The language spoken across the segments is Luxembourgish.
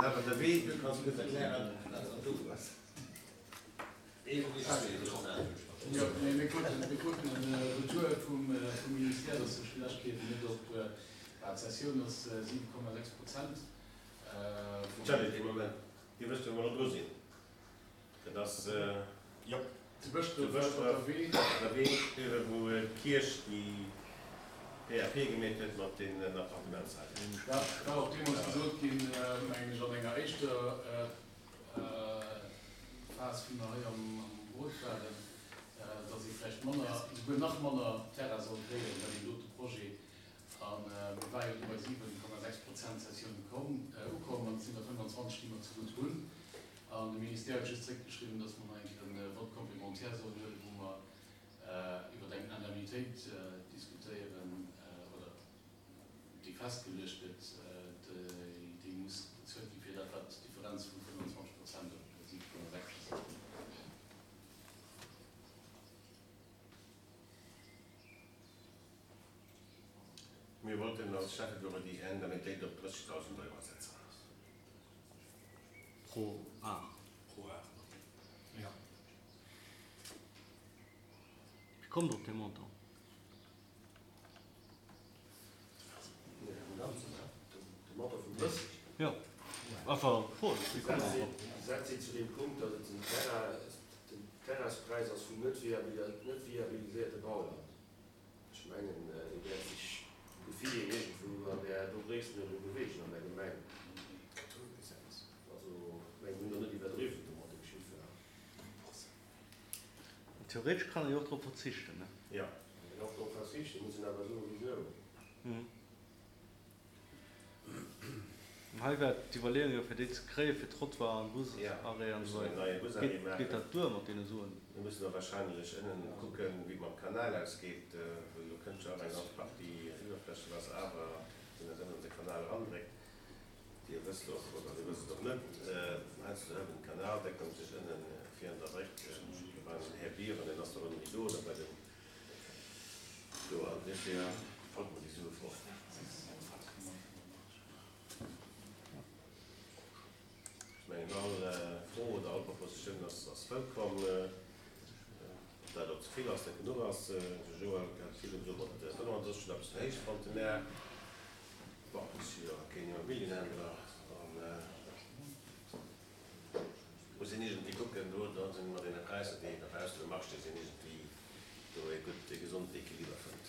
Awer de Wee, du kanns kuerz erklären, wat an do ass. Jo, mee mir kruten, mir kruten e Retour vum Ministère, dass sech villäicht kéint net op, bah, d'Cessioun ass 7,6 Prozent vum. Charlie, dee Moment, Dir wësst, wou mer elo dru sinn. Dat ass, jo, zu Bëschdref op der Wee, uewe wou d'Kierch déi PAP gemeet huet mat deenen Appartementshaiser. Dat war och deemools gesot ginn, mengen ech, an enger éischter Phas, wéi mer hei am Rot waren, datt ee vläicht manner, esouguer nach manner Terrain soll kréien bei deem dote Projet. A mir ware jo du bei 7,6 Prozent Cessioun ukomm an et sinn der 25, déi mer zegutt hunn. An de Ministère huet just zréckgeschriwwen, dass mer nach eng Kéier e Vote complémentaire sollen huelen, wou mer iwwer eng Indemnitéit diskutéieren oder déi festgeluecht gëtt, déi muss bezuelt gi fir dat, wat d'Differenz vu 25 Prozent op 7,6 ass. Mir wollten als Schäffebureau déi Indemnitéit op 30.000 Euro setzen. Pro Ar. Pro Ar, jo. Wéi kommt Der op dee Montant? Jo, einfach Fro, wéi kommt Der drop? Setzt si zu deem Punkt, datt et den Terrain, den Terrainspräis ass vum net viabiliséierte Bauland. Ech mengen, dee wäert sech vum Gefill hier iergendwou an där do Gréisstenuerdnung beweegen an der Gemeng. Also, ech mengen, mir hunn do net iwwerdriwwen do mat dem Chiffer. Theoretesch kann een jo och drop verzichten, ne? Jo. Kann een och drop verzichten, muss een awer soen, wisou. An hei war d'Iwwerleeung jo, fir déi ze kréien, fir Trottoir an Busarrêt an esou weider. Geet dat duer mat deene Suen? Mir mussen da wahrscheinlech ënnen kucken, wéi et mam Kanal ausgeet, well do kënnt jo awer eng ganz Partie Iwwerflächewaasser awer, deen dat ënnen an de Kanal erandréckt. Dir wësst och, oder Dir wësst et och net, heiansdo hëlt den Kanal, deckt sech ënnen vir an der Bréck beim Här Biren, deen ass doch ënnen méi do, oder bei den do, an duerfir fällt mer déi Sue fort. Ech mengen, all Fro oder all Propositioun ass wëllkomm. Ob dat elo ze vill ass, net genuch ass, de Joël hat virdu gesot, mat 35 huet eppes ze héich fonnt, de Mä bon, ech si jo keen Immobilienhändler an muss een iergendwéi kucken, do da sinn mat deene Präisser, déi dobaussen um Marché sinn, iergendwéi do ee gutt, ee gesonden Equiliber fënnt.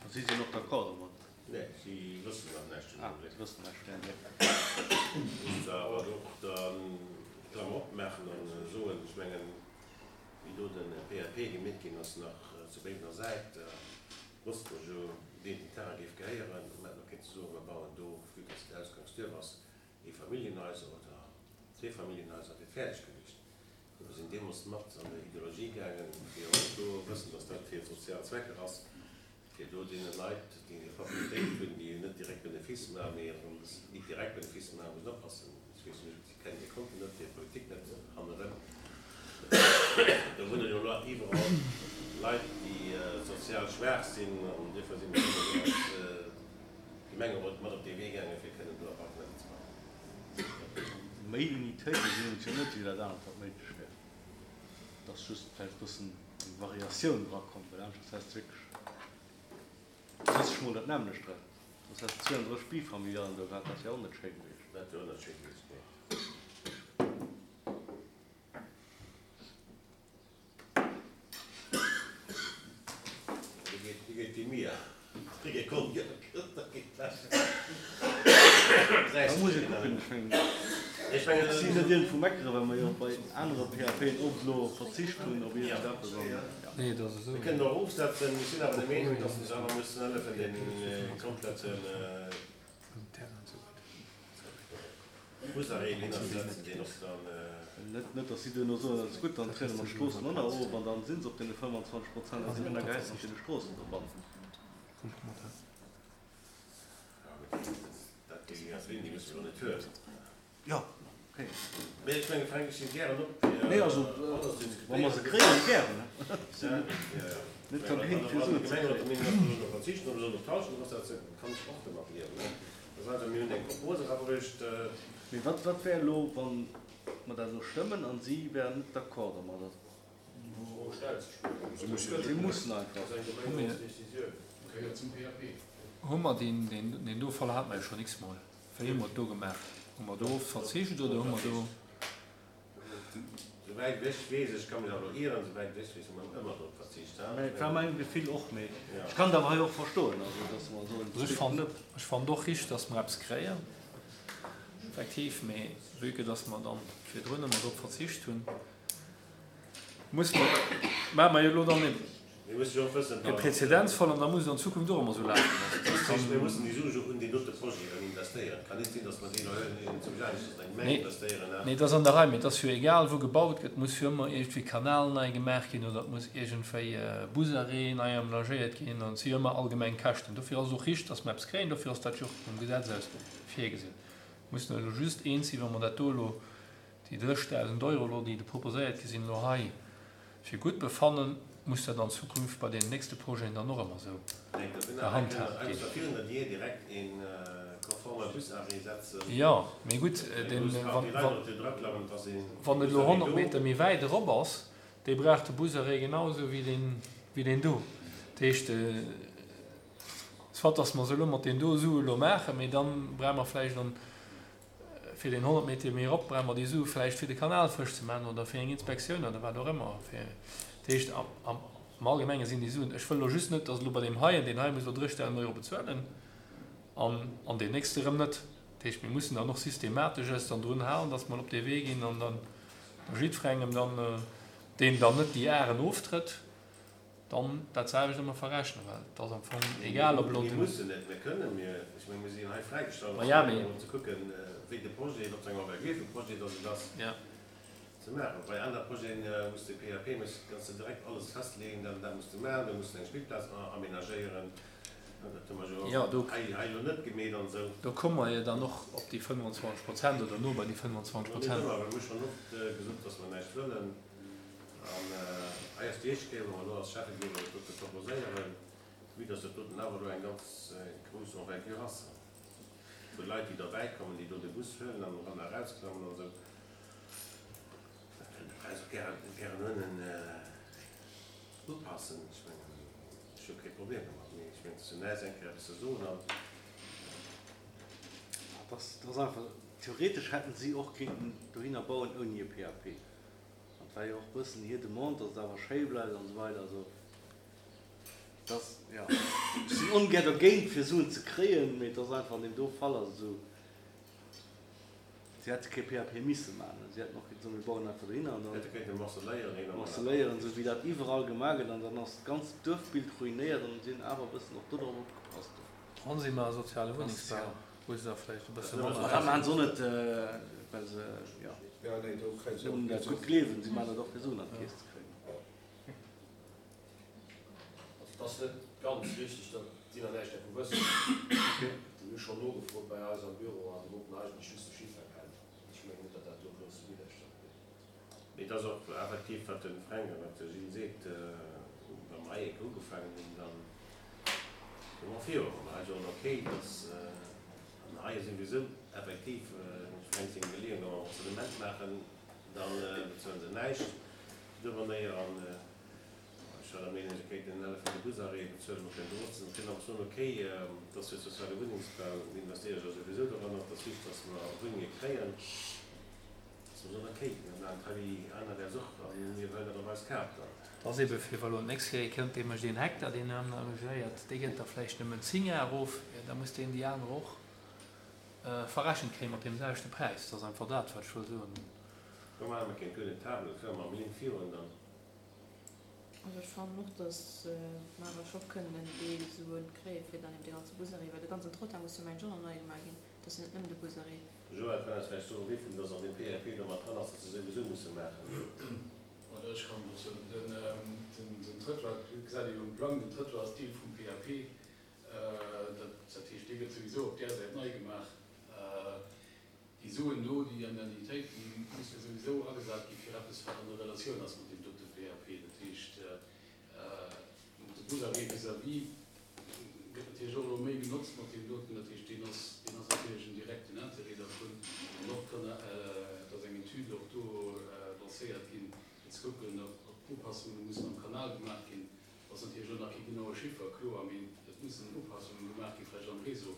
A si sinn och d'accord domat? Nee, si wëssen nach näischt den Ah, si wëssen näischt, nee, nee. Muss se awer och dann d'Klammer opmaachen an soen, ech mengen, wéi do de PAP gemeet ginn ass nach zu Béiwener Säit, wosste mer jo, ween den Terrain géif gehéieren. Mer hätten och kéinte soen, mer bauen do, vue dass et Ausgangsduerf ass, Eefamilljenhaiser oder Zweefamilljenhaiser, wier fäerdeg gewiescht. Mir sinn deemools mat an der Ideologie gaangen, fir och do wëssen, dass dat fir sozial Zwecker ass, fir do deene Leit, déi hir Fakultéit hunn, déi net direkt Benefice maachen, mee erëm déi direkt Benefice maachen, mussen oppassen. Ech weess net, si kennen hir Konten net, hir Politik net hannerëm. Do wunnen jo elo iwwerall Leit, déi sozial schwaach sinn, an duerfir si mir deemools als Gemengerot mat op dee Wee gaangen, fir kënnen do Appartementer ze bauen. Méi Unitéite sinn et jo net, wéi dat anert, wat méiglech wär. Et ass just vläicht e bëssen eng Variatioun drakomm, well aneschters häss de wierklech 30 mol dat nämmlecht dran. Soss häss de 32 Bifamilialen do gehat, dat wär och net schéi gewiescht. Dat wär och net schéi gewiescht, nee. Da muss ee kucken. Ech mengen, ech sinn net iergendwou meckeren, well mer jo och bei anere PAPen oft elo verzicht hunn op iergendeppes an, jo. Mir kënnen och ofsetzen. Ech sinn awer der Meenung, dass mer awer mussen hëllefen, dee kompletten Busarrêt hinnerzesetzen, deen och dann. Net, dass si duerno soen, dat ass gutt, dann triede mer d'Stroossen och nach of an dann si se op deene 25 Prozent a sinn ënnergehäit mat deene Stroossen dobannen. Ja, mee dat, déi Linn, déi musse mer jo net huelen. Jo, okay. Mee ech mengen, Fränk, ech sinn gären op, fir Nee, also, alles ze wa mer se diskutéieren. kréien, gären. Ja, ja, ja. Net dergéint, fir Suen ze kréien. Wann d'Gemeng verzichten oder soll op d'Halschent erofsetzen, kann ech och domat liewen. Dat ass einfach, mir hunn eng Propos erabruecht. Mee wat, wat wär elo, wa mer dat elo stëmmen a si wären net d'accord domadder? Si mussen einfach. Hu mer deen, deen do Fall hate mer jo schonn x-mol. Wéi hu mer et do gemaach? Hu mer do verzicht oder hu mer do. Souwäit ech weess, ech ka mech awer ieren, souwäit ech weess, hu mer ëmmer drop verzicht. Mä et war mäin Gefill och, mee ech kann et awer hei och verstoen, also datt mer soen, Also ech fannen, ech fannen och richteg, datt mer eppes kréien, effektiv, mee vue que datt mer dann virdrun ëmmer drop verzicht hunn, Muss mer, maache mer jo elo dann Mir mussen jo och wëssen, e Präzedenzfall an da muss et an Zukunft och ëmmer esou lafen. Dat heescht, mir mussen déi Sue jo un deen dote Projet erëm investéieren. Et kann net sinn, datt mer déi elo huelen, zum Aneschters an eng Gemeng investéieren. Nee, dat ass an der Rei, mee et ass jo egal, wou gebaut gëtt, muss jo ëmmer iergendwéi Kanal nei gemaach ginn oder et muss iergendwéi Busarrêt nei amenagéiert ginn an et si jo ëmmer allgemeng Käschten. Dofir ass et och richteg, datt mer eppes kréien, dofir ass dat jo och vum Gesetz aus virgesinn. Mir mussen elo just eens sinn, wa mer dat do elo Déi 30.000 Euro elo, déi do proposéiert gi sinn, elo hei fir gutt befannen, muss dat an Zukunft bei deenen nächste Projeten dann och ëmmer esou gehandhaabt ginn. Jo, mee gutt, wann et elo 100 Meter méi wäit erop ass, dee brauch de Busarrêt genau esou wéi deen do. Dat heescht, soit datt mer se elo mat deem do Sue elo maachen, mee da brauche mer vläicht an Fir deen 100 Meter méi erop brauche mer déi Sue vläicht fir de Kanal frësch ze maachen oder fir eng Inspektioun oder wat och ëmmer. Dat heescht, am Allgemenge sinn déi Suen, ech wëll elo just net, datt elo bei deem heien, deen hei muss elo 30.000 Euro bezuelen an an deen nächste erëm net. Dat heescht, mir mussen dann och systematesch eis dann drun halen, datt mer op dee Wee ginn an dann jiddwerengem dann, deen dann net déi Aren oftrëtt, Dann dat selwecht ëmmer verrechnen, well et ass am Fong egal, ob elo den. Mir mussen net, mir kënnen, mir, ech menge mir sinn hei fräigestallt, als Gemeng och ze kucken, wéi de Projet, op eng Envergure vum Projet dass et ass, ze maachen. Bei aner Projeten muss de PAP, muss, kanns de direkt alles festleeën, dat an dat muss de maachen, do muss de eng Spillplaz amenagéieren, dat hu mer jo hei hei elo net gemeet an esou. Do komme mer jo dann och op déi 25 Prozent oder no bei déi 25 Prozent. Net ëmmer, well mir hu schonn oft gesot, dass mer näischt wëllen. An hei ass déi éischt Kéier, wou mer elo als Schäffegeber dat dote proposéieren, vue dass dat doten awer elo eng ganz grouss Envergure ass vu Leit, déi derbäikommen, déi do de Bus huelen an eran a erausklammen an esou. Da kënnt de Präis och gären, gären ënnen upassen. Ech mengen, ech hu kee Problem domat, mee ech mengen, et ass jo näischt, eng Kéier eppes ze soen an. Dat ass einfach, theoretesch hätten si och kéinten dohinner bauen ouni e PAP. An et war jo och bëssen hir Demande, dass et awer schéi bleift an esou weider. Also et ass, jo, ech sinn ongär dergéint, fir Suen ze kréien, mee et ass einfach an deem do Fall ass et esou, si hätte kee PAP misse maachen. Si hätten och kéinte soen, mir bauen einfach dohinner an dann. Hätte kéinte morceléieren, een am Morceléieren, esou wéi dat iwwerall gemaach gëtt an dann ass d'ganzt Duerfbild ruinéiert an si hunn awer e bëssen och dodrop opgepasst. An si maache soziale Wunnengsbau. Wou se da vläicht e bësse manner. Ma dat maachen se och net, well se, jo, nëmmen dat gutt gleewen. Si maachen dat och, fir Suen an d'Keess ze kréien. Also et ass net ganz richteg, datt si nach näischt dervu wëssen. Déi hu schonn nogefrot bei eis am Büro a wollten eigentlech just de Chiffer kennen. Ech mengen net, datt dat do grousse Widderstand gëtt. Mee et ass och effektiv, wat de Fränk a wat de Gilles seet, wa mer hei eng Kéier ugefaangen hunn, da soe mer viru. Wa mer hei soen, okay, dass, an hei souwisou effektiv, dem Fränk seng Iwwerleeung, wa mer e Morcellement maachen, da bezuele se näischt duerernéier. An ech war der Meenung, se kéinten en Hallef vun de Busarrêtë bezuelen, mer kënnen do och, kënnen och soen, okay, et ass jo soziale Wunnengsbau, mir investéiere jo souwisou doranner, et ass wichteg, dass mer Wunnenge kréien. Et ass ebe fir, wa lo d'nächst Kéier ee kënnt, dee mécht een Hektar, deen amenagéiert, dee gëtt da vläicht nëmmen 10 Ar of, jo da muss deen déi aner och verrechent kréie mat deem selwechte Präis. Dat ass einfach dat, wat ech wëll soen. Also ech fannen och, datt mer awer scho kënnen en Deel Suen kréie fir dann eben de ganze Busarrêt, well de ganzen Trottoir muss jo mengen ech och nach nei gemaach ginn, dat ass jo net nëmmen de Busarrêt. Joël, kann eis vläicht soen, wéivill dass an deem PAP do mat dran ass, dass se souwisou musse maachen? Oder ech kann dozou, den Trëttoir, dat gesäit ee jo um Plang, den Trëttoir ass Deel vum PAP. Dat heescht, dee gëtt souwisou op där Säit nei gemaach. Déi Suen do, déi Indemnitéiten, musse souwisou agesat gi fir eppes, wat an der Relatioun ass mat deem dote PAP. Dat heescht, de Busarrêt vis-à-vis gëtt. natierlech och elo méi genotzt mat deem doten. Dat heescht, deen ass, deen ass natierlech en direkten Intérêt dervun. An och kann, et ass eng Etüd och do lancéiert ginn, fir ze kucken, ob Upassunge mussen am Kanal gemaach ginn. Ass natierlech elo nach kee genaue Chiffer, kloer, mee et mussen Upassunge gemaach ginn, vläicht am Réseau,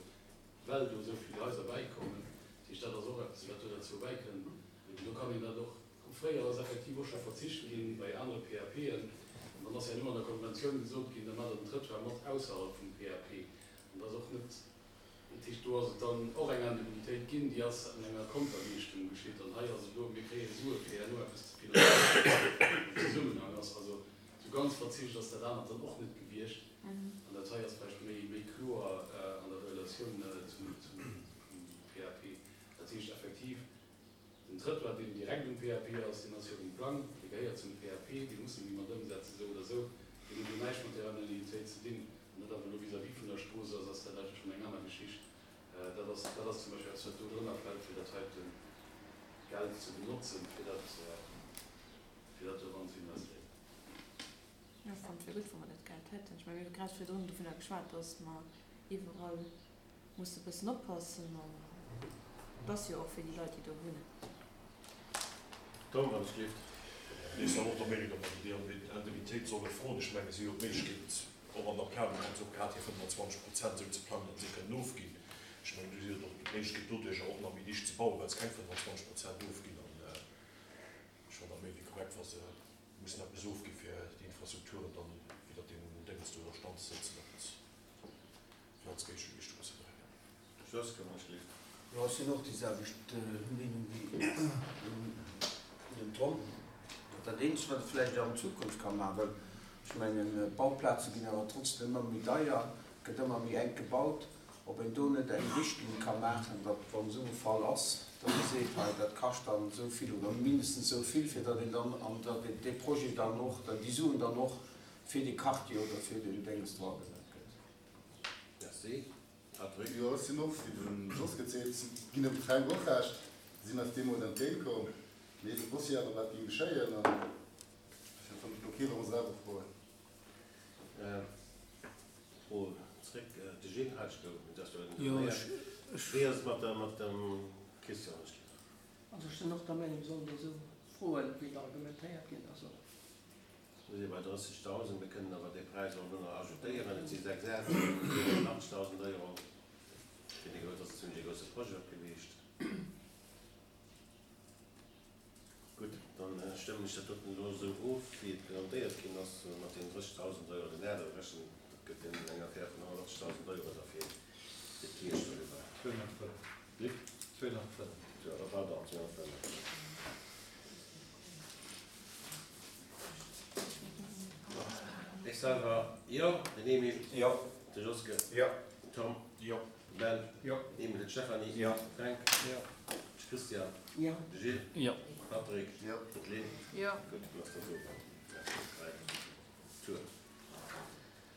well do esou vill Haiser bäikommen. Dat heescht, dat ass och eppes, wat do derzou bäikënnt. An do kann een dat och Fréier ass effektiv och scho verzicht ginn bei anere PAPen. An dann ass herno an der Konventioun gesot ginn, da maacht Der den Trëttoir mat ausserhalb vum PAP. An dat ass och net, dat heescht, do ass et dann och eng Indemnitéit ginn, déi ass an enger Konterleeschtung geschitt. An hei ass et elo, mir kréie Sue fir herno eppes ze finanzéieren, wat am Zesummenhang ass. Also esou ganz verzicht ass dat anert dann och net gewiescht. An dat hei ass vläicht méi, méi kloer an der Relatioun zum PAP. Dat heescht effektiv, Den Trëttoir, deen direkt um PAP ass, deen ass jo um Plang, dee gehéiert zum PAP, dee musse mir mat ëmsetzen, esou oder esou. Deen huet elo näischt mat där Indemnitéit ze dinn. An dat awer elo vis-à-vis vun der Strooss ass, ass dat eigentlech schonn eng aner Geschicht. Dat ass, dat ass zum Beispill eppes, wat do drënner fält, fir dat heite Geld ze benotzen, fir dat, fir dat do eran ze investéieren. Jo, ech fannen et wier gutt, wa mer dat Geld hätten. Ech mengen, mir hu grad virdrun dovunner geschwat, dass mer iwwerall Muss e bëssen oppassen an et ass jo och fir déi Leit déi do wunnen. Tom, wann ech gelift. Ech sinn och der Meenung, datt mer déi Indemnitéit solle froen. Ech menge si hu jo d'Méiglechkeet, och an der Planung hunn se och grad hir 25 Prozent esou ze plangen, datt se kënnen ofginn. Ech mengen, do si jo och d'Méiglechkeet doduercher och nach méi dicht ze bauen, well se keng 25 Prozent ofginn. An ech fannen dat méi wéi korrekt, wa se mussen eppes ofgi fir déi Infrastrukturen dann iwwert deem Déngens do a Stand ze sëtzen, datt fir als Géigeleeschtung ze bréngen. Jos, komm ech lift. Jo, ech sinn och déi selwecht Meenung wéi den Tom. Dat eenzegt, wat ee vläicht an Zukunft ka maachen, well ech mengen, d'Bauplaze ginn awer trotzdem ëmmer méi deier, et gëtt ëmmer méi enk gebaut, ob een do net eng Richtlinn ka maachen, datt, wann esou e Fall ass, datt ee seet, hei dat kascht dann esou vill oder mindestens esou vill, fir datt een dann, an datt dee Projet dann och, déi Suen dann och fir dee Quartier oder fir deen Dénges do agesat gëtt. Merci. Patrick? Jo, ech sinn och, wéi de Jos gezeet, ginn dem Fränk och Recht. Si sinn eis deemools entgéint komm, mee se wosste jo awer wat géing geschéien an dofir fannt ech et ok wa mer se awer froen. Fro zréck, de Gilles hat ech gouf, et ass jo intervenéiert. Wéi ass et mat der, mat dem Christian? Also ech sinn och der Meenung, mir sollen déi esou froen, wéi et argumentéiert ginn ass och. Mir si bei 30.000, mir kënnen awer dee Präis och elo nach ajoutéieren. Et si 6 Äert, 87.000 Euro. Fir dee grouss, ass e zimlech e grousse Projet och gewiescht. Gutt, dann stëmmen ech dat doten elo esou of, wéi et presentéiert ginn ass, mat deenen 30.000 Euro den Äert. Rechnen, dat gëtt dann eng Affär vun 180.000 Euro da fir d'Kierch doriwwer. 205. Wéi? 205. Jo, pardon, 205. Ech selwer, jo. Den Emil. Jo. De Joske. Jo. Den Tom. Jo. De Ben. Jo. Den Emil, de Stéphanie. Jo. De Fränk. Jo. De Christian. Jo. De Gilles. Jo. De Patrick. Jo. D'Lynn. Jo. Gutt, dann ass dat esou. Merci, Tour.